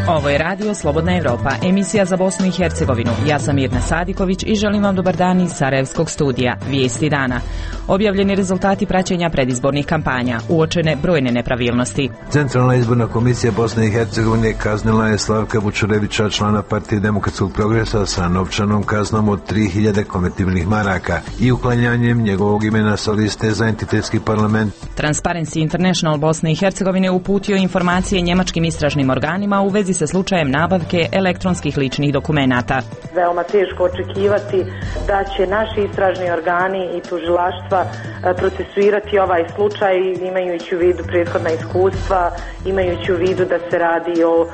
Ovo je radio Slobodna Evropa, emisija za Bosnu i Hercegovinu. Ja sam Mirna Sadiković i želim vam dobar dan iz Sarajevskog studija. Vijesti dana. Objavljeni rezultati praćenja predizbornih kampanja. Uočene brojne nepravilnosti. Centralna izborna komisija Bosne i Hercegovine kaznila je Slavka Vučurevića, člana Partije Demokratskog progresa, sa novčanom kaznom od 3000 konvertibilnih maraka i uklanjanjem njegovog imena sa liste za entitetski parlament. Transparency International Bosne i Hercegovine uputio informacije njemačkim istražnim organima u vezi sa slučajem nabavke elektronskih ličnih dokumenata. Veoma teško očekivati da će naši istražni organi i tužilaštva procesuirati ovaj slučaj, imajući u vidu prethodna iskustva, imajući u vidu da se radi o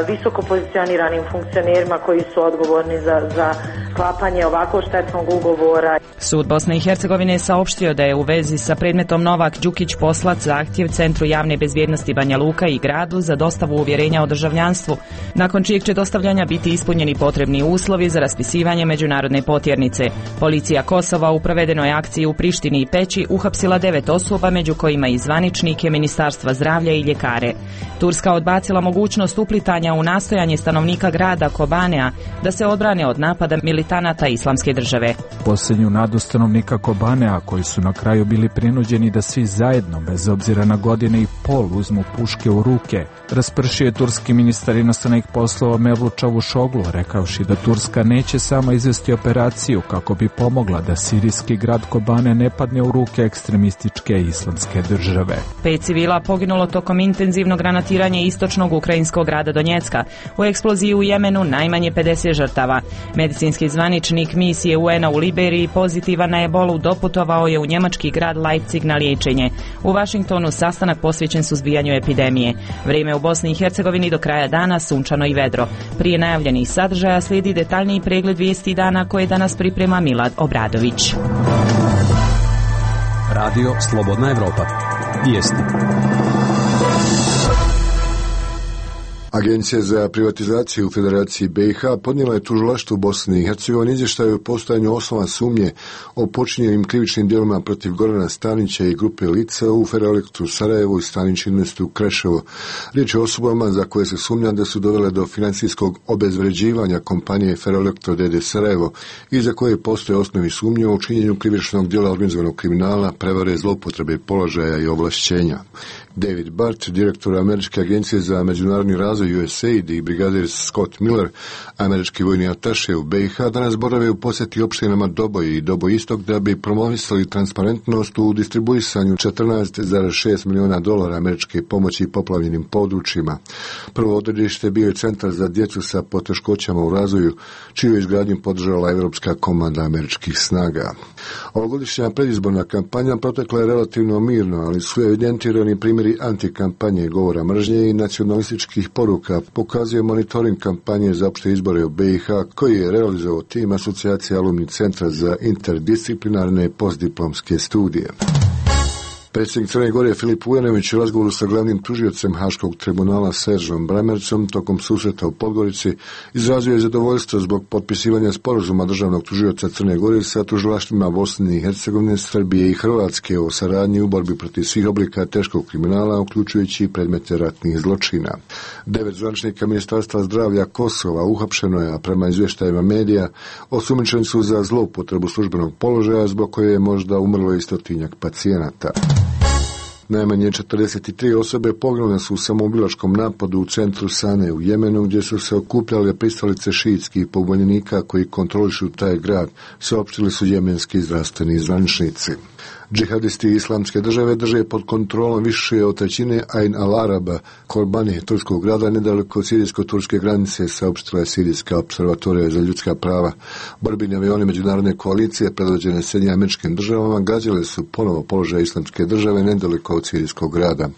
visoko pozicioniranim funkcionerima koji su odgovorni za sklapanje ovako štetnog ugovora. Sud Bosne i Hercegovine je saopštio da je u vezi sa predmetom Novak Đukić poslat zahtjev Centru javne bezbjednosti Banja Luka i gradu za dostavu uvjerenja o državljanstvu, nakon čijeg će dostavljanja biti ispunjeni potrebni uslovi za raspisivanje međunarodne potjernice. Policija Kosova u provedenoj akciji u Prištini i Peći uhapsila 9 osoba, među kojima i zvaničnike Ministarstva zdravlja i ljekare. Turska odbacila mogućnost uplitanja u nastojanje stanovnika grada Kobanea da se odbrane od napada militanata Islamske države. Posljednju nadu stanovnika Kobanea, koji su na kraju bili prinuđeni da svi zajedno, bez obzira na godine i pol, uzmu puške u ruke, raspršio je turski ministar inostranih poslova Mevlut Čavuşoglu, rekavši da Turska neće sama izvesti operaciju kako bi pomogla da sirijski grad Kobane ne padne u ruke ekstremističke Islamske države. 5 civila poginulo tokom intenzivnog granatiranja istočnog ukrajinskog grada Donjecka. U eksploziji u Jemenu najmanje 50 žrtava. Medicinski zvaničnik misije UN-a u Liberiji pozitivan na ebolu doputovao je u njemački grad Leipzig na liječenje. U Vašingtonu sastanak posvećen suzbijanju epidemije. Vrijeme u Bosni i Hercegovini do kraja dana sunčano i vedro. Prije najavljenih sadržaja slijedi detaljniji pregled vijesti dana koje danas priprema Milad Obradović. Radio Slobodna Evropa. Vijesti. Agencija za privatizaciju u Federaciji BiH podnijela je tužilaštvu Bosne i Hercegovine izvještaj o postojanju osnovne sumnje o počinjenim krivičnim djelima protiv Gorana Stanića i grupe lica u Ferroelektru Sarajevo i Stanić Investu Kreševo. Riječ je o osobama za koje se sumnja da su dovele do financijskog obezvređivanja kompanije Ferroelektro d.d. Sarajevo i za koje postoje osnovi sumnje o činjenju krivičnog djela organizovanog kriminala, prevare, zloupotrebe položaja i ovlašćenja. David Bart, direktor Američke agencije za međunarodni razvoj USAID, i brigadir Scott Miller, američki vojni ataše u BiH, danas borave u posjeti opštinama Doboj i Doboj Istok da bi promovisali transparentnost u distribuisanju $14,6 milijuna američke pomoći poplavljenim područjima. Prvo odredište bio je centar za djecu sa poteškoćama u razvoju, čiju izgradnju podržala Evropska komanda američkih snaga. Ovogodišnja predizborna kampanja protekla je relativno mirno, ali su evidentirani primjeri antikampanje, govora mržnje i nacionalističkih poruka, pokazuje monitoring kampanje za opšte izbore u BiH koji je realizovao tim Asocijacije alumni centra za interdisciplinarne postdiplomske studije. Predsjednik Crne Gore Filip Vujanović u razgovoru sa glavnim tužiocem Haškog tribunala Seržom Bremercom tokom susreta u Podgorici izrazio je zadovoljstvo zbog potpisivanja sporazuma državnog tužioca Crne Gore sa tužilaštvima Bosne i Hercegovine, Srbije i Hrvatske o saradnji u borbi protiv svih oblika teškog kriminala, uključujući predmete ratnih zločina. 9 zvaničnika Ministarstva zdravlja Kosova uhapšeno je, a prema izvještajima medija osumnjičeni su za zloupotrebu službenog položaja zbog koje je možda umrlo i 100-tinjak pacijenata. Najmanje 43 osobe poginule su u samoubilačkom napadu u centru Sane u Jemenu, gdje su se okupljale pristalice šiitskih pobunjenika koji kontrolišu taj grad, saopštili su jemenski zdravstveni zvaničnici. Džihadisti Islamske države drže pod kontrolom više od trećine Ain al-Araba, Korbani, turskog grada nedaleko od sirijsko-turske granice, saopštila je Sirijska observatorija za ljudska prava. Borbeni avioni međunarodne koalicije predvođene Sjedinjenim Američkim Državama gađale su ponovo položaj Islamske države nedaleko od sirijskog grada.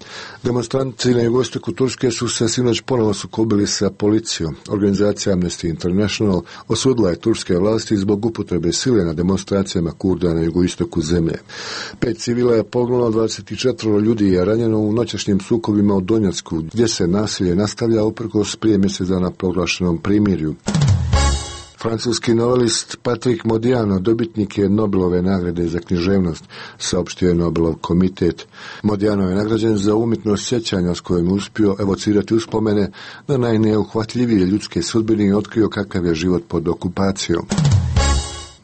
Demonstranti na jugoistoku Turske su se sinoć ponovo sukobili sa policijom. Organizacija Amnesty International osudila je turske vlasti zbog upotrebe sile na demonstracijama Kurda na jugoistoku zemlje. 5 civila je poginulo, 24 ljudi je ranjeno u noćašnjim sukobima u Donjecku, gdje se nasilje nastavlja uprkos prije mjesec dana proglašenom primirju. Francuski novelist Patrick Modiano dobitnik je Nobelove nagrade za književnost, saopštio je Nobelov komitet. Modiano je nagrađen za umjetnost sjećanja s kojim uspio evocirati uspomene na najneuhvatljivije ljudske sudbine i otkrio kakav je život pod okupacijom.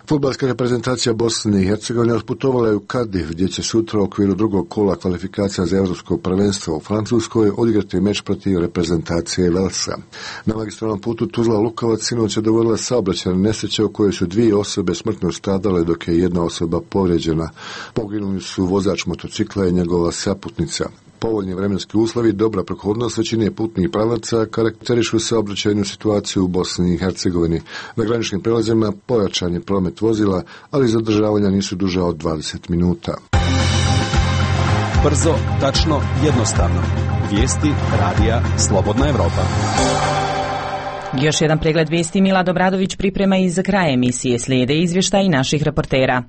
Fudbalska reprezentacija Bosne i Hercegovine otputovala je u Cardiff, gdje će sutra u okviru drugog kola kvalifikacija za Evropsko prvenstvo u Francuskoj odigrati meč protiv reprezentacije Velsa. Na magistralnom putu Tuzla-Lukovac sinoć je dogodila saobraćajna nesreća u kojoj su 2 osobe smrtno stradale, dok je 1 osoba povrijeđena. Poginuli su vozač motocikla i njegova saputnica. Povoljni vremenski uslovi, dobra prohodnost većine putnih pravaca karakterišu saobraćajnu situaciju u Bosni i Hercegovini. Na graničnim prelazima pojačan je promet vozila, ali zadržavanja nisu duža od 20 minuta. Brzo, tačno, jednostavno. Vijesti radija Slobodna Evropa. Još jedan pregled vijesti Mila Dobradović priprema i za kraj emisije. Slijede izvještaji naših reportera.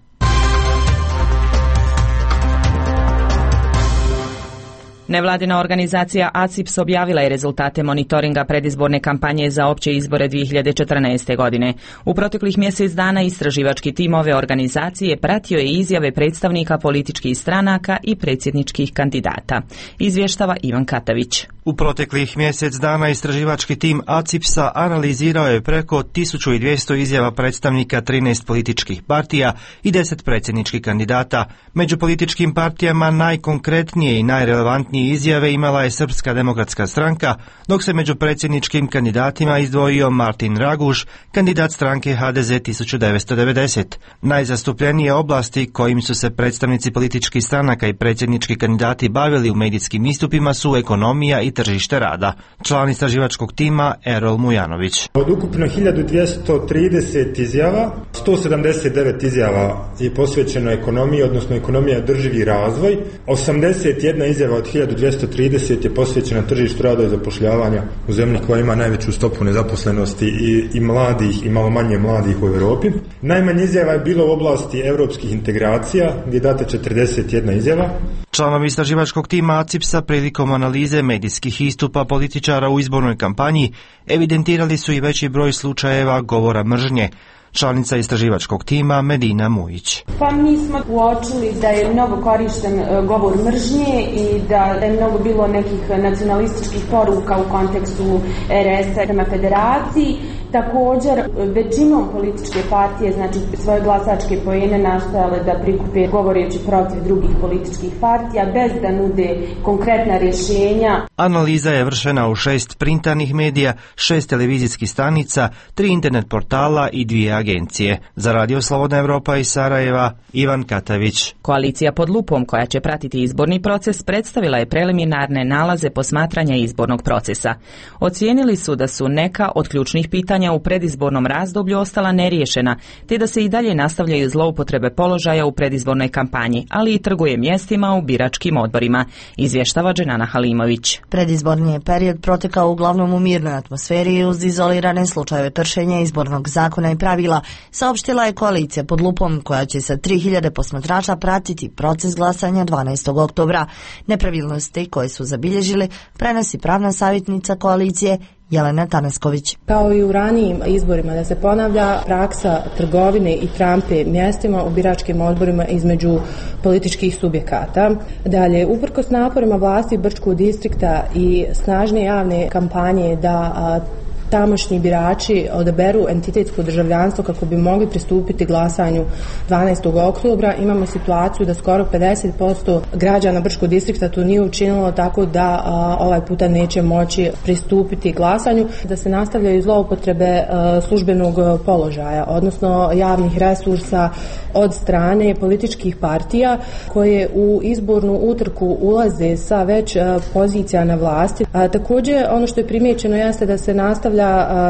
Nevladina organizacija ACIPS objavila je rezultate monitoringa predizborne kampanje za opće izbore 2014. godine. U proteklih mjesec dana istraživački tim ove organizacije pratio je izjave predstavnika političkih stranaka i predsjedničkih kandidata. Izvještava Ivan Katavić. U proteklih mjesec dana istraživački tim ACIPS-a analizirao je preko 1200 izjava predstavnika 13 političkih partija i 10 predsjedničkih kandidata. Među političkim partijama najkonkretnije i najrelevantnije izjave imala je Srpska demokratska stranka, dok se među predsjedničkim kandidatima izdvojio Martin Raguš, kandidat stranke HDZ 1990. Najzastupljenije oblasti kojim su se predstavnici političkih stranaka i predsjednički kandidati bavili u medijskim istupima su ekonomija i tržište rada. Član istraživačkog tima Erol Mujanović. Od ukupno 1230 izjava, 179 izjava je posvećeno ekonomiji, odnosno ekonomija je održivi razvoj. 81 izjava od 1230 je posvećena tržištu rada i zapošljavanja u zemlji koja ima najveću stopu nezaposlenosti i mladih i malo manje mladih u Europi. Najmanje izjava je bilo u oblasti europskih integracija, gdje je data 41 izjava. Članovi istraživačkog tima ACIPS-a prilikom analize medijskih istupa političara u izbornoj kampanji evidentirali su i veći broj slučajeva govora mržnje. Članica istraživačkog tima Medina Mujić. Pa mi smo uočili da je mnogo korišten govor mržnje i da je mnogo bilo nekih nacionalističkih poruka u kontekstu RS-a prema federaciji. Također, većinom političke partije, znači svoje glasačke poene nastojale da prikupe govoreći protiv drugih političkih partija bez da nude konkretna rješenja. Analiza je vršena u 6 printanih medija, 6 televizijskih stanica, 3 internet portala i 2 agencije. Za Radio Slobodna Evropa iz Sarajeva, Ivan Katavić. Koalicija pod lupom koja će pratiti izborni proces predstavila je preliminarne nalaze posmatranja izbornog procesa. Ocijenili su da su neka od ključnih pitanja u predizbornom razdoblju ostala neriješena, te da se i dalje nastavljaju zloupotrebe položaja u predizbornoj kampanji, ali i trguje mjestima u biračkim odborima, izvještava Dženana Halimović. Predizborni je period protekao uglavnom u mirnoj atmosferi uz izolirane slučajeve kršenja izbornog zakona i pravila, saopštila je koalicija pod lupom koja će sa 3000 posmatrača pratiti proces glasanja 12. oktobra. Nepravilnosti koje su zabilježili prenosi pravna savjetnica koalicije Jelena Tanasković. Kao i u ranijim izborima da se ponavlja praksa trgovine i trampe mjestima u biračkim odborima između političkih subjekata. Dalje, uprkos naporima vlasti Brčkog distrikta i snažne javne kampanje da tamošnji birači odaberu entitetsko državljanstvo kako bi mogli pristupiti glasanju 12. oktobra. Imamo situaciju da skoro 50% građana Brčkog distrikta to nije učinilo, tako da ovaj puta neće moći pristupiti glasanju. Da se nastavljaju zloupotrebe službenog položaja, odnosno javnih resursa od strane političkih partija koje u izbornu utrku ulaze sa već pozicija na vlasti. Također, ono što je primijećeno jeste da se nastavlja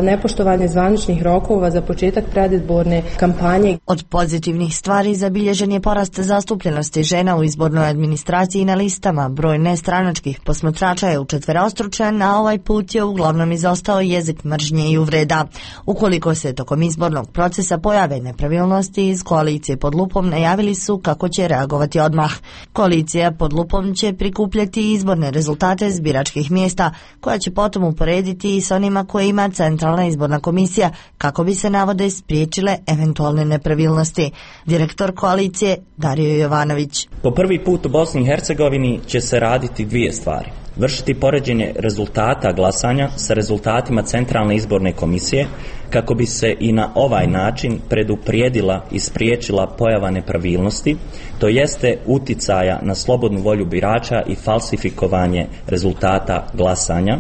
nepoštovanje zvaničnih rokova za početak predizborne kampanje. Od pozitivnih stvari zabilježen je porast zastupljenosti žena u izbornoj administraciji i na listama. Broj nestranačkih posmatrača je učetverostručen, a ovaj put je uglavnom izostao jezik mržnje i uvreda. Ukoliko se tokom izbornog procesa pojave nepravilnosti, iz koalicije pod lupom najavili su kako će reagovati odmah. Koalicija pod lupom će prikupljati izborne rezultate s biračkih mjesta, koja će potom uporediti i s onima koje ima poduzima Centralna izborna komisija kako bi se navode spriječile eventualne nepravilnosti. Direktor koalicije Dario Jovanović. Po prvi put u Bosni i Hercegovini će se raditi dvije stvari. Vršiti poređenje rezultata glasanja sa rezultatima Centralne izborne komisije kako bi se i na ovaj način preduprijedila i spriječila pojava nepravilnosti, to jeste uticaja na slobodnu volju birača i falsifikovanje rezultata glasanja,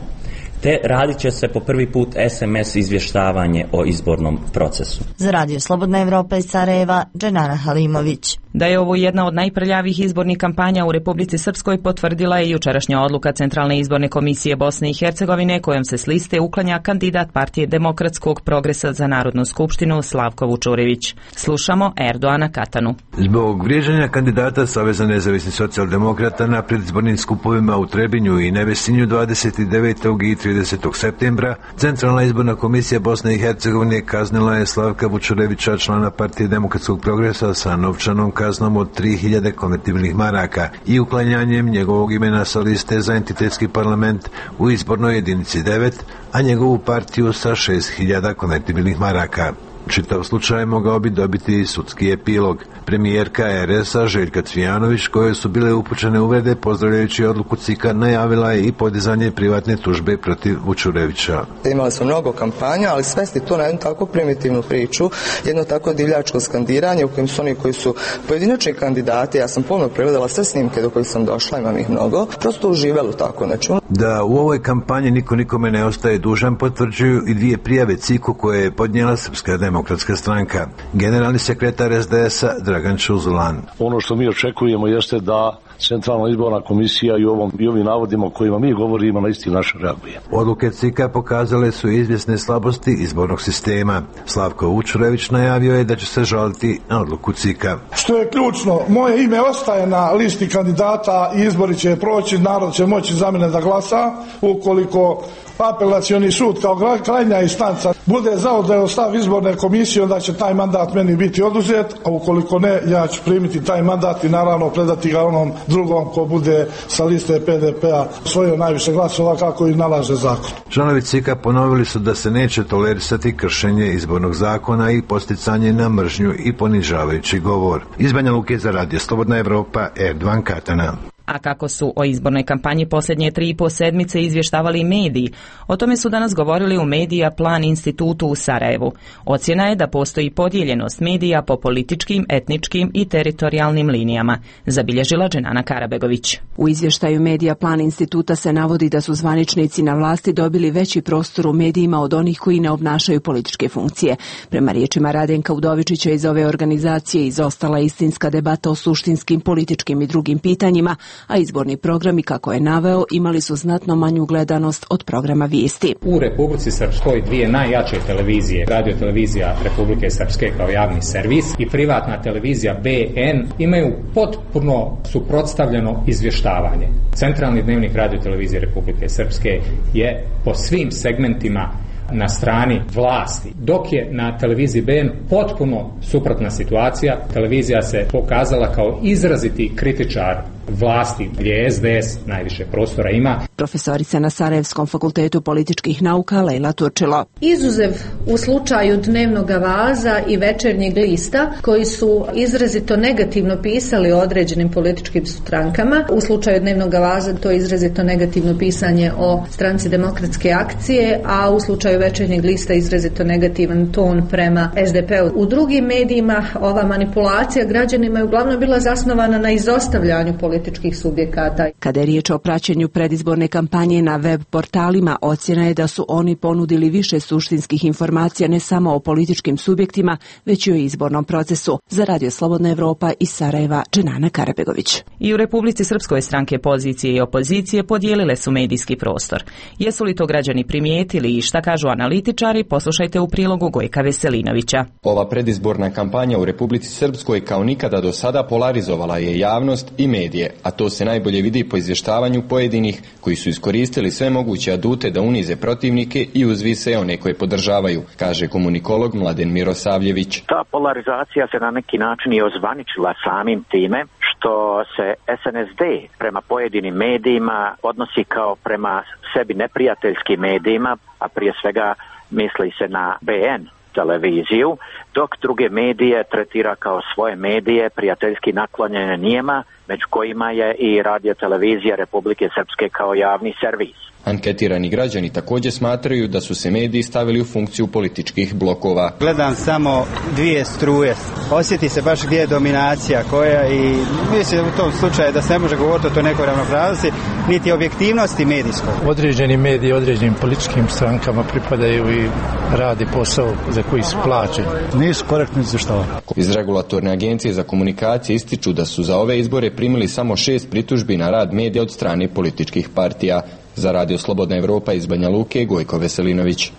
te radit će se po prvi put SMS izvještavanje o izbornom procesu. Za Radio Slobodna Evropa iz Sarajeva, Dženana Halimović. Da je ovo jedna od najprljavih izbornih kampanja u Republici Srpskoj potvrdila je jučerašnja odluka Centralne izborne komisije Bosne i Hercegovine kojom se s liste uklanja kandidat partije Demokratskog progresa za Narodnu skupštinu Slavko Vučurević. Slušamo Erdoana Katanu. Zbog vrijeđanja kandidata Saveza nezavisnih socijaldemokrata na predizbornim skupovima u Trebinju i Nevesinju 29. i 30. septembra, Centralna izborna komisija Bosne i Hercegovine kaznila je Slavka Vučurevića, člana partije Demokratskog progresa, sa novčanom kaznom od 3000 konvertibilnih maraka i uklanjanjem njegovog imena sa liste za entitetski parlament u izbornoj jedinici 9, a njegovu partiju sa 6000 konvertibilnih maraka. Čitav slučaj mogao bi dobiti sudski epilog. Premijerka RS-a Željka Cvijanović, koje su bile upućene uvrede pozdravljajući odluku CIK-a, najavila je i podizanje privatne tužbe protiv Vučurevića. Imali smo mnogo kampanja, ali svesti to na jednu tako primitivnu priču, jedno tako divljačko skandiranje u kojem su oni koji su pojedinačni kandidati, ja sam pomno pregledala sve snimke do kojih sam došla, imam ih mnogo, prosto uživali u tako nečemu. Da u ovoj kampanji niko nikome ne ostaje dužan potvrđuju i dvije prijave CIK-u koje je podnijela Srpska demokratska stranka. Generalni sekretar SDS-a Dragan Čuzulan. Ono što mi očekujemo jeste da Centralna izborna komisija i ovim navodima o kojima mi govorimo na isti naš reaguje. Odluke CIK-a pokazale su izvjesne slabosti izbornog sistema. Slavko Vučurević najavio je da će se žaliti na odluku CIK-a. Što je ključno, moje ime ostaje na listi kandidata i izbori će proći, narod će moći za mene da glasa. Ukoliko apelacioni sud kao krajnja instanca bude zauzeo stav izborne komisije, onda će taj mandat meni biti oduzet, a ukoliko ne, ja ću primiti taj mandat i naravno predati ga onom drugom ko bude sa liste PDP-a osvojio najviše glasova kako i nalaže zakon. Članovi CIK-a ponovili su da se neće tolerisati kršenje izbornog zakona i posticanje na mržnju i ponižavajući govor. Iz Banja Luke za Radio Slobodna Evropa, Erdoan Katana. A kako su o izbornoj kampanji posljednje 3,5 sedmice izvještavali mediji, o tome su danas govorili u Medija Plan institutu u Sarajevu. Ocjena je da postoji podijeljenost medija po političkim, etničkim i teritorijalnim linijama, zabilježila Dženana Karabegović. U izvještaju Medija Plan instituta se navodi da su zvaničnici na vlasti dobili veći prostor u medijima od onih koji ne obnašaju političke funkcije. Prema riječima Radenka Udovičića iz ove organizacije izostala istinska debata o suštinskim, političkim i drugim pitanjima, a izborni programi, kako je naveo, imali su znatno manju gledanost od programa vijesti. U Republici Srpskoj dvije najjače televizije, Radio televizija Republike Srpske kao javni servis i privatna televizija BN, imaju potpuno suprotstavljeno izvještavanje. Centralni dnevnik Radio televizije Republike Srpske je po svim segmentima na strani vlasti, dok je na televiziji BN potpuno suprotna situacija. Televizija se pokazala kao izraziti kritičar vlasti, gdje SDS najviše prostora ima. Profesorica na Sarajevskom fakultetu političkih nauka Lejla Turčilo. Izuzev u slučaju Dnevnog Vaza i Večernjeg lista, koji su izrazito negativno pisali o određenim političkim strankama. U slučaju Dnevnog Vaza to je izrazito negativno pisanje o stranci Demokratske akcije, a u slučaju Večernjeg lista izrazito negativan ton prema SDP-u. U drugim medijima ova manipulacija građanima je uglavnom bila zasnovana na izostavljanju političkih subjekata. Kada je riječ o praćenju predizborne kampanje na web portalima, ocjena je da su oni ponudili više suštinskih informacija ne samo o političkim subjektima, već i o izbornom procesu. Za Radio Slobodna Evropa iz Sarajeva, Dženana Karabegović. I u Republici Srpskoj stranke pozicije i opozicije podijelile su medijski prostor. Jesu li to građani primijetili i šta kažu analitičari, poslušajte u prilogu Gojka Veselinovića. Ova predizborna kampanja u Republici Srpskoj kao nikada do sada polarizovala je javnost i medije, a to se najbolje vidi po izvještavanju pojedinih koji su iskoristili sve moguće adute da unize protivnike i uzvise one koje podržavaju, kaže komunikolog Mladen Mirosavljević. Ta polarizacija se na neki način i ozvaničila samim time što se SNSD prema pojedinim medijima odnosi kao prema sebi neprijateljskim medijima, a prije svega misli se na BN televiziju, dok druge medije tretira kao svoje medije, prijateljski naklonjene njima, među kojima je i radio televizija Republike Srpske kao javni servis. Anketirani građani također smatraju da su se mediji stavili u funkciju političkih blokova. Gledam samo dvije struje. Osjeti se baš gdje je dominacija koja i mislim u tom slučaju da se ne može govoriti o toj nekoj ravnopravnosti, niti objektivnosti medijskog. Određeni mediji, određenim političkim strankama pripadaju i radi posao za koji su plaćeni. Nisu korektni izvještavani. Iz Regulatorne agencije za komunikacije ističu da su za ove izbore primili samo 6 pritužbi na rad medija od strane političkih partija. Za Radio Slobodna Evropa iz Banja Luke, Gojko Veselinović.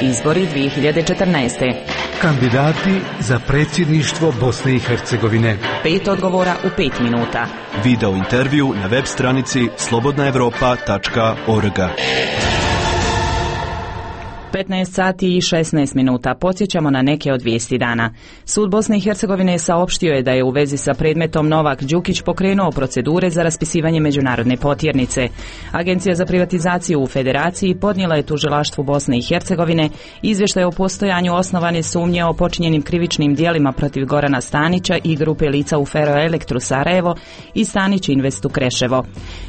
Izbori 2014. Kandidati za predsjedništvo Bosne i Hercegovine. 5 odgovora u 5 minuta. Video intervju na web stranici slobodnaevropa.org. 15 sati i 16 minuta. Podsjećamo na neke od vijesti dana. Sud Bosne i Hercegovine saopštio je da je u vezi sa predmetom Novak Đukić pokrenuo procedure za raspisivanje međunarodne potjernice. Agencija za privatizaciju u Federaciji podnijela je tužilaštvu Bosne i Hercegovine izvještaj o postojanju osnovane sumnje o počinjenim krivičnim djelima protiv Gorana Stanića i grupe lica u Feroelektru Sarajevo i Stanić Investu Kreševo.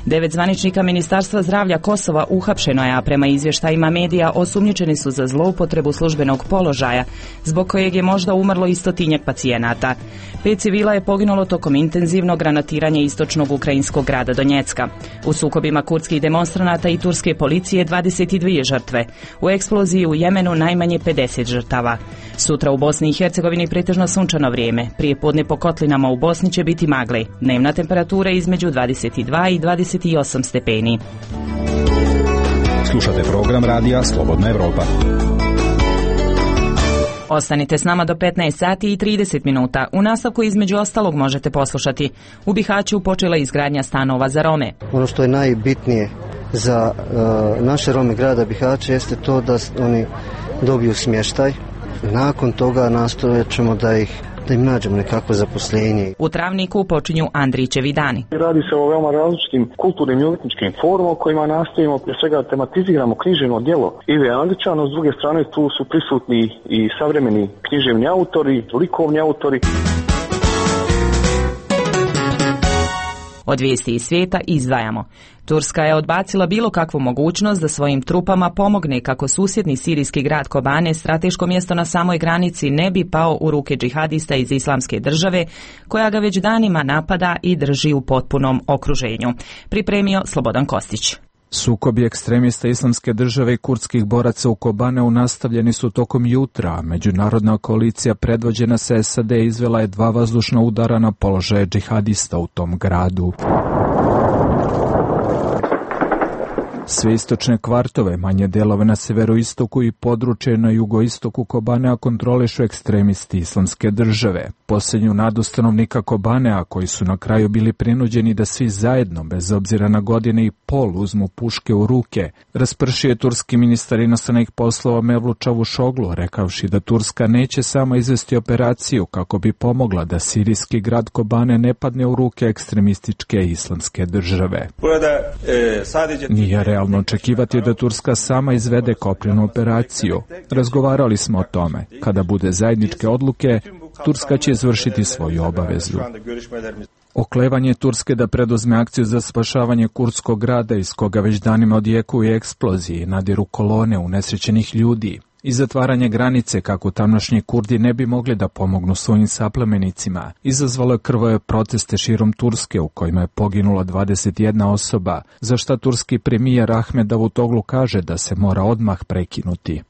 9 zvaničnika Ministarstva zdravlja Kosova uhapšeno je, a prema izvještajima medija osumnjičeni su za zloupotrebu službenog položaja, zbog kojeg je možda umrlo i 100-tinjak pacijenata. 5 civila je poginulo tokom intenzivnog granatiranja istočnog ukrajinskog grada Donjecka. U sukobima kurdskih demonstranata i turske policije 22 žrtve. U eksploziji u Jemenu najmanje 50 žrtava. Sutra u Bosni i Hercegovini pretežno sunčano vrijeme. Prije podne po kotlinama u Bosni će biti magle. Dnevna temperatura između 22 i 28 stepeni. Slušate program radija Slobodna Evropa. Ostanite s nama do 15 sati i 30 minuta. U nastavku između ostalog možete poslušati. U Bihaću počela izgradnja stanova za Rome. Ono što je najbitnije za naše Rome grada Bihaća jeste to da oni dobiju smještaj. Nakon toga nastojat ćemo da im nađemo nekakvo zaposlenje. U Travniku počinju Andrićevi dani. Radi se o veoma različitim kulturnim i umjetničkim formama kojima nastojimo prije svega tematiziramo književno djelo Ive Andrića, no s druge strane tu su prisutni i savremeni književni autori, likovni autori. Od vijesti iz svijeta izdvajamo. Turska je odbacila bilo kakvu mogućnost da svojim trupama pomogne kako susjedni sirijski grad Kobane, strateško mjesto na samoj granici, ne bi pao u ruke džihadista iz Islamske države, koja ga već danima napada i drži u potpunom okruženju. Pripremio Slobodan Kostić. Sukobi ekstremista Islamske države i kurdskih boraca u Kobaneu nastavljeni su tokom jutra. Međunarodna koalicija predvođena sa SAD izvela je 2 vazdušna udara na položaje džihadista u tom gradu. Sve istočne kvartove, manje delove na severoistoku i područje na jugoistoku Kobanea kontrolišu ekstremisti Islamske države. Posljednju nadu stanovnika Kobanea, koji su na kraju bili prinuđeni da svi zajedno, bez obzira na godine i pol, uzmu puške u ruke, raspršio je turski ministar inostranih poslova Mevlut Čavuşoglu, rekavši da Turska neće samo izvesti operaciju kako bi pomogla da sirijski grad Kobane ne padne u ruke ekstremističke Islamske države. Nije realno očekivati da Turska sama izvede kopnenu operaciju. Razgovarali smo o tome. Kada bude zajedničke odluke, Turska će izvršiti svoju obavezu. Oklevanje Turske da preduzme akciju za spašavanje kurdskog grada iz koga već danima odjekuju eksplozije i nadiru kolone unesrećenih ljudi i zatvaranje granice kako tamošnji Kurdi ne bi mogli da pomognu svojim saplemenicima, izazvalo je krvave proteste širom Turske u kojima je poginula 21 osoba, za šta turski premijer Ahmed Davutoglu kaže da se mora odmah prekinuti.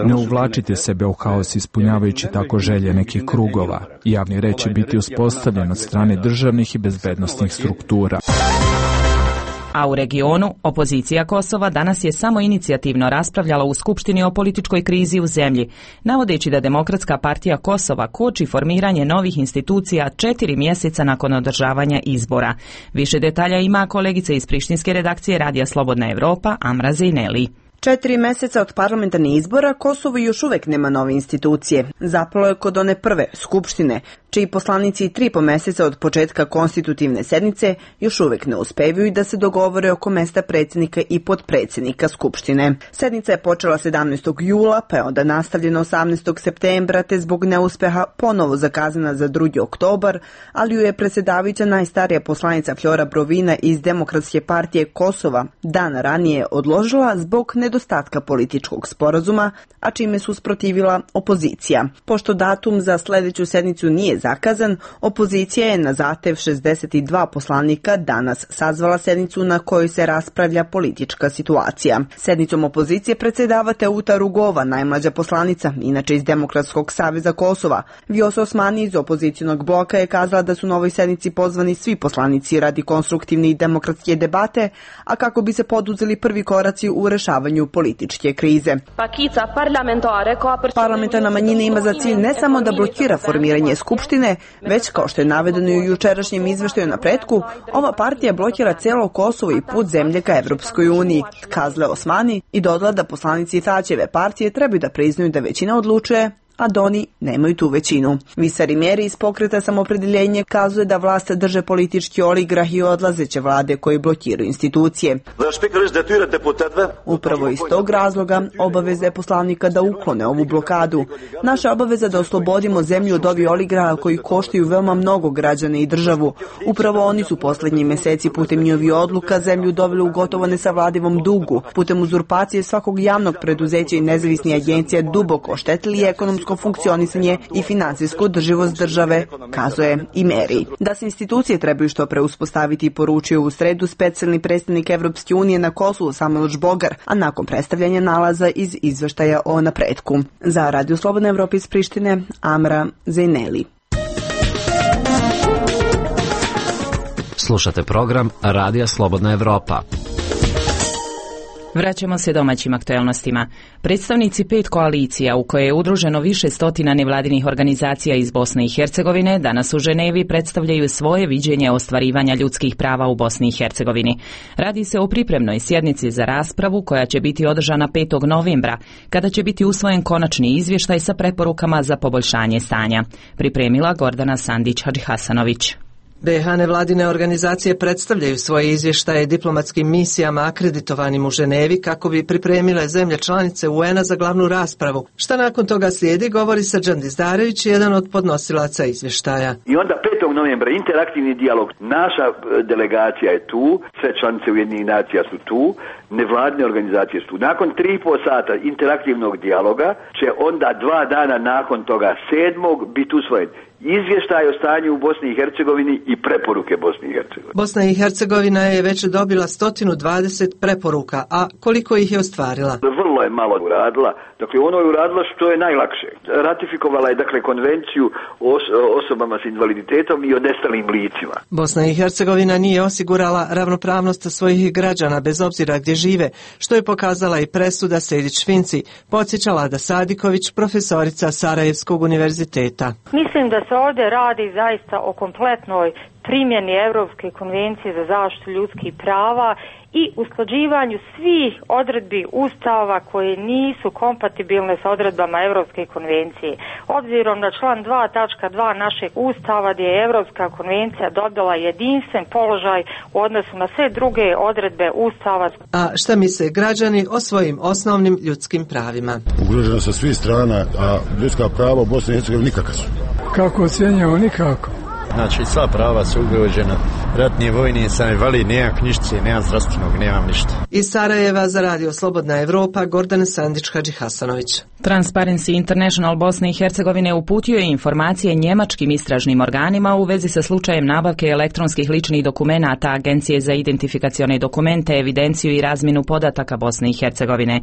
Ne uvlačite sebe u haos ispunjavajući tako želje nekih krugova. Javni red će biti uspostavljen od strane državnih i bezbednosnih struktura. A u regionu, opozicija Kosova danas je samo inicijativno raspravljala u Skupštini o političkoj krizi u zemlji, navodeći da Demokratska partija Kosova koči formiranje novih institucija 4 mjeseca nakon održavanja izbora. Više detalja ima kolegica iz prištinske redakcije Radija Slobodna Evropa, Amra Zejneli. 4 meseca od parlamentarnih izbora Kosovo još uvek nema nove institucije. Zapalo je kod one prve, Skupštine, čiji poslanici 3,5 meseca od početka konstitutivne sednice još uvek ne uspevaju da se dogovore oko mesta predsjednika i potpredsjednika Skupštine. Sednica je počela 17. jula, pa je onda nastavljena 18. septembra, te zbog neuspeha ponovo zakazana za 2. oktobar, ali ju je predsjedavajuća najstarija poslanica Flora Brovina iz Demokratske partije Kosova dan ranije odložila zbog nedostatka političkog sporazuma, a čime su usprotivila opozicija. Pošto datum za sljedeću sednicu nije zakazan, opozicija je na zahtev 62 poslanika danas sazvala sednicu na kojoj se raspravlja politička situacija. Sednicom opozicije predsjedava Teuta Rugova, najmlađa poslanica, inače iz Demokratskog saveza Kosova. Vjosa Osmani iz opozicijonog bloka je kazala da su na ovoj sednici pozvani svi poslanici radi konstruktivne i demokratske debate, a kako bi se poduzeli prvi koraci u rešavanju političke krize. Parlamentarna manjina ima za cilj ne samo da blokira formiranje Skupštine, već, kao što je navedeno i u jučerašnjem izveštaju o napretku, ova partija blokira celo Kosovo i put zemlje ka Evropskoj uniji, kazala Osmani, i dodala da poslanici Taćeve partije trebaju da priznaju da većina odlučuje, a da oni nemaju tu većinu. Visari Mjeri iz pokreta Samoopredjeljenje kazuje da vlast drže politički oligrah i odlazeće vlade koji blokiraju institucije. Upravo iz tog razloga obaveza je poslanika da uklone ovu blokadu. Naša obaveza da oslobodimo zemlju od ovih oligraha koji koštaju veoma mnogo građana i državu. Upravo oni su posljednji meseci putem njihovih odluka zemlju doveli u gotovo nesavladivom dugu, putem uzurpacije svakog javnog preduzeća i nezavisnih agencija duboko oštetili ekonomsku funkcionisanje i finansijsku održivost države, kazuje i Meri. Da se institucije trebaju što pre uspostaviti, poručio u sredu specijalni predstavnik Evropske unije na Kosovu Samuel Žbogar, a nakon predstavljanja nalaza iz izveštaja o napretku. Za Radio Slobodna Evropa iz Prištine, Amra Zejneli. Slušate program Radija Slobodna Evropa. Vraćamo se domaćim aktuelnostima. Predstavnici 5 koalicija u koje je udruženo više stotina nevladinih organizacija iz Bosne i Hercegovine danas u Ženevi predstavljaju svoje viđenje ostvarivanja ljudskih prava u Bosni i Hercegovini. Radi se o pripremnoj sjednici za raspravu koja će biti održana 5. novembra, kada će biti usvojen konačni izvještaj sa preporukama za poboljšanje stanja. Pripremila Gordana Sandić-Hadžihasanović. BiH nevladine organizacije predstavljaju svoje izvještaje diplomatskim misijama akreditovanim u Ženevi kako bi pripremile zemlje članice UN-a za glavnu raspravu. Šta nakon toga slijedi, govori Srđan Dizdarević, jedan od podnosilaca izvještaja. I onda 5. novembra interaktivni dijalog. Naša delegacija je tu, sve članice Ujedinjenih nacija su tu, nevladine organizacije su tu. Nakon 3,5 sata interaktivnog dijaloga će onda 2 dana nakon toga 7. biti usvojen izvještaj o stanju u Bosni i Hercegovini i preporuke Bosni i Hercegovine. Bosna i Hercegovina je već dobila 120 preporuka, a koliko ih je ostvarila? Vrlo je malo uradila. Dakle, ono je uradila što je najlakše. Ratifikovala je, dakle, konvenciju o osobama s invaliditetom i o nestalim licima. Bosna i Hercegovina nije osigurala ravnopravnost svojih građana bez obzira gdje žive, što je pokazala i presuda Sejdić-Finci, podsjeća Lada Sadiković, profesorica Sarajevskog univerziteta. Mislim da se ovdje radi zaista o kompletnoj primjeni Europske konvencije za zaštitu ljudskih prava i usklađivanju svih odredbi Ustava koje nisu kompatibilne sa odredbama Europske konvencije. Obzirom na član 2.2 našeg Ustava gdje je Europska konvencija dobila jedinstven položaj u odnosu na sve druge odredbe Ustava. A šta misle građani o svojim osnovnim ljudskim pravima? Ugroženo sa svih strana, a ljudska prava u Bosni i Hercegovini nikakva su. Kako ocjenjamo? Nikako. Znači, sva prava su ugrožena. Ratni vojni sam invalid, nemam knjižice, nemam zdravstvenog, nemam ništa. Iz Sarajeva za Radio Slobodna Evropa, Gordana Sandić-Hadžihasanović. Transparency International Bosne i Hercegovine uputio je informacije njemačkim istražnim organima u vezi sa slučajem nabavke elektronskih ličnih dokumenata Agencije za identifikacione dokumente, evidenciju i razmjenu podataka Bosne i Hercegovine.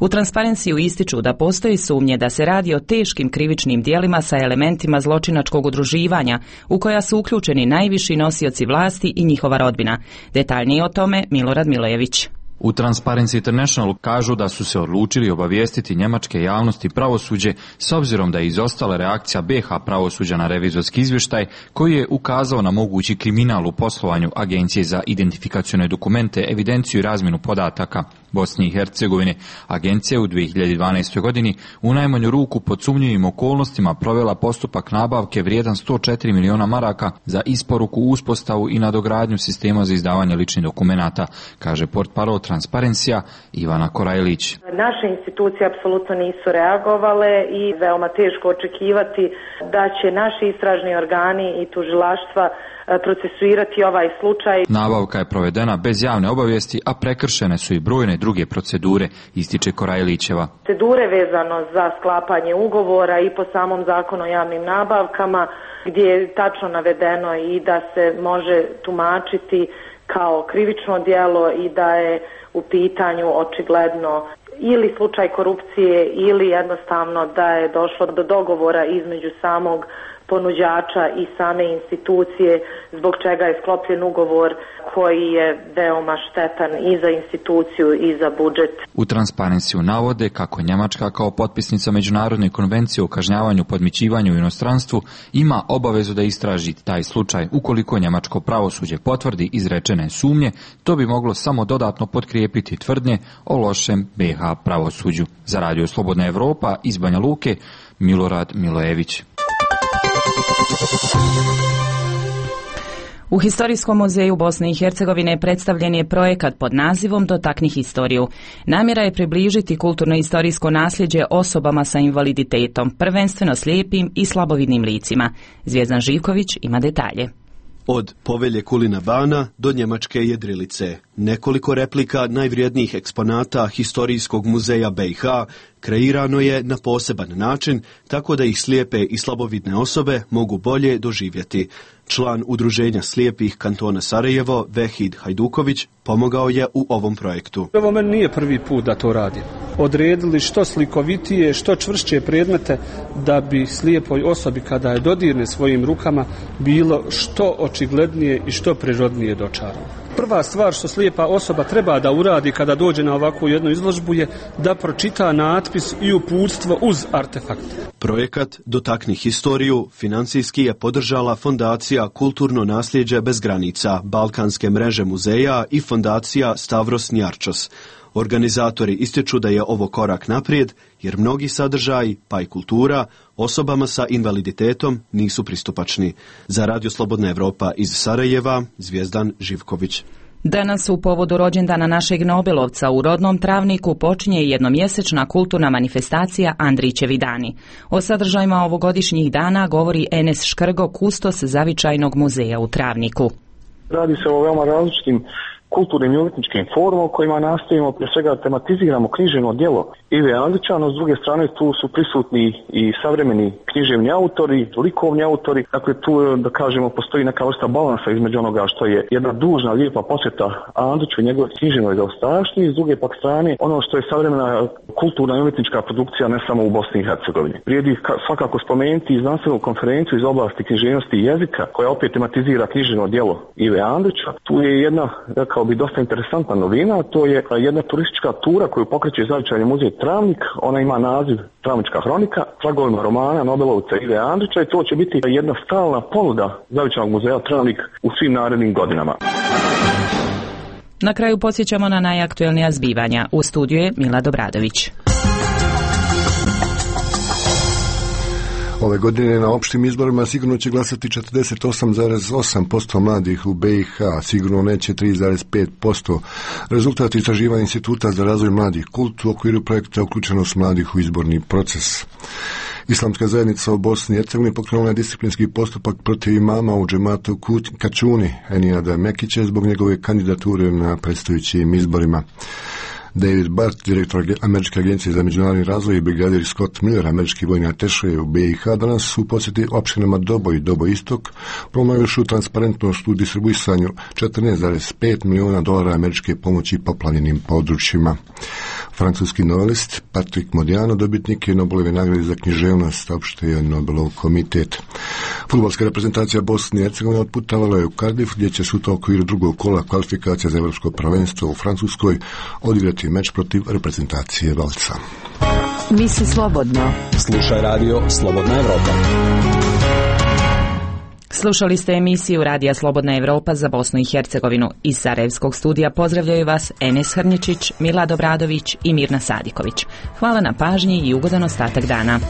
U Transparencyu ističu da postoji sumnje da se radi o teškim krivičnim djelima sa elementima zločinačkog udruživanja u koja su uključeni najviši nosioci vlasti i njihova rodbina. Detaljnije o tome Milorad Milojević. U Transparency International kažu da su se odlučili obavijestiti njemačke javnosti pravosuđe s obzirom da je izostala reakcija BiH pravosuđa na revizorski izvještaj koji je ukazao na mogući kriminal u poslovanju Agencije za identifikacione dokumente, evidenciju i razmjenu podataka Bosne i Hercegovine. Agencija u 2012. godini u najmanju ruku pod sumnjivim okolnostima provela postupak nabavke vrijedan 104 miliona maraka za isporuku, uspostavu i nadogradnju sistema za izdavanje ličnih dokumenata, kaže portparol Transparencija Ivana Korajlić. Naše institucije apsolutno nisu reagovale i veoma teško očekivati da će naši istražni organi i tužilaštva procesuirati ovaj slučaj. Nabavka je provedena bez javne obavijesti, a prekršene su i brojne druge procedure, ističe Korajlićeva. Procedure vezano za sklapanje ugovora i po samom zakonu o javnim nabavkama, gdje je tačno navedeno i da se može tumačiti kao krivično djelo i da je u pitanju očigledno ili slučaj korupcije ili jednostavno da je došlo do dogovora između samog ponuđača i same institucije, zbog čega je sklopljen ugovor koji je veoma štetan i za instituciju i za budžet. U Transparenciju navode kako Njemačka kao potpisnica Međunarodne konvencije o kažnjavanju podmićivanju u inostranstvu ima obavezu da istraži taj slučaj. Ukoliko njemačko pravosuđe potvrdi izrečene sumnje, to bi moglo samo dodatno potkrijepiti tvrdnje o lošem BiH pravosuđu. Za Radio Slobodna Evropa iz Banja Luke, Milorad Milojević. U Historijskom muzeju Bosne i Hercegovine predstavljen je projekat pod nazivom Dotakni historiju. Namjera je približiti kulturno-istorijsko nasljeđe osobama sa invaliditetom, prvenstveno slijepim i slabovidnim licima. Zvijezdan Živković ima detalje. Od Povelje Kulina Bana do Njemačke jedrilice. Nekoliko replika najvrijednijih eksponata Historijskog muzeja BiH kreirano je na poseban način, tako da ih slijepe i slabovidne osobe mogu bolje doživjeti. Član Udruženja slijepih kantona Sarajevo, Vehid Hajduković, pomogao je u ovom projektu. Ovo meni nije prvi put da to radim. Odredili što slikovitije, što čvršće predmete da bi slijepoj osobi kada je dodirne svojim rukama bilo što očiglednije i što prirodnije dočarano. Prva stvar što slijepa osoba treba da uradi kada dođe na ovakvu jednu izložbu je da pročita natpis i uputstvo uz artefakt. Projekat Dotakni historiju financijski je podržala Fondacija Kulturno nasljeđe bez granica, Balkanske mreže muzeja i Fondacija Stavros Njarčos. Organizatori ističu da je ovo korak naprijed, jer mnogi sadržaji, pa i kultura, osobama sa invaliditetom nisu pristupačni. Za Radio Slobodna Evropa iz Sarajeva, Zvijezdan Živković. Danas u povodu rođendana našeg Nobelovca u rodnom Travniku počinje jednomjesečna kulturna manifestacija Andrićevi dani. O sadržajima ovogodišnjih dana govori Enes Škrgo, kustos Zavičajnog muzeja u Travniku. Radi se o veoma različitim kulturnim i umjetničkim forumom kojima nastojimo prije svega tematiziramo književno djelo Ive Andrića, no s druge strane tu su prisutni i savremeni književni autori, likovni autori, dakle tu da kažemo postoji neka vrsta balansa između onoga što je jedna dužna, lijepa posjeta Andriću i njegove književnoj zaostavštini, s druge pak strane ono što je savremena kulturna i umjetnička produkcija ne samo u Bosni i Hercegovini. Vrijedi svakako spomenuti i znanstvenu konferenciju iz oblasti književnosti i jezika koja opet tematizira književno djelo Ive Andrića. Tu je jedna, rekao bi, dosta interesantna novina, to je jedna turistička tura koju pokreće Zavičajni muzej Travnik. Ona ima naziv Travnička hronika, tragovima romana Nobelovca Ive Andrića i to će biti jedna stalna ponuda Zavičajnog muzeja Travnik u svim narednim godinama. Na kraju podsjećamo na najaktuelnija zbivanja. U studiju je Mila Dobradović. Ove godine na opštim izborima sigurno će glasati 48,8% mladih u BiH, sigurno neće 3,5%. Rezultat istraživanja Instituta za razvoj mladih Kult u okviru projekta Uključenost mladih u izborni proces. Islamska zajednica u Bosni i Hercegovini pokrenula je disciplinski postupak protiv imama u džematu Kačuni, Enijada Mekića, zbog njegove kandidature na predstojećim izborima. David Bart, direktor Američke agencije za međunarodni razvoj, i brigadir Scott Miller, američki vojni ateše u BiH, danas su posjeti opštinama Doboj i Doboj Istok, promovišu transparentnost u distribuisanju $14,5 miliona američke pomoći poplavljenim područjima. Francuski novelist Patrick Modiano dobitnik je Nobelove nagrade za književnost, saopštio Nobelov komitet. Fudbalska reprezentacija Bosne i Hercegovine otputovala je u Cardiff, gdje će sutra u okviru drugog kola kvalifikacija za evropsko prvenstvo u Francuskoj odigrati meč protiv reprezentacije Valca. Misli slobodno. Slušaj radio Slobodna Evropa. Slušali ste emisiju Radija Slobodna Evropa za Bosnu i Hercegovinu. Iz Sarajevskog studija pozdravljaju vas Enes Hrnječić, Milad Obradović i Mirna Sadiković. Hvala na pažnji i ugodan ostatak dana.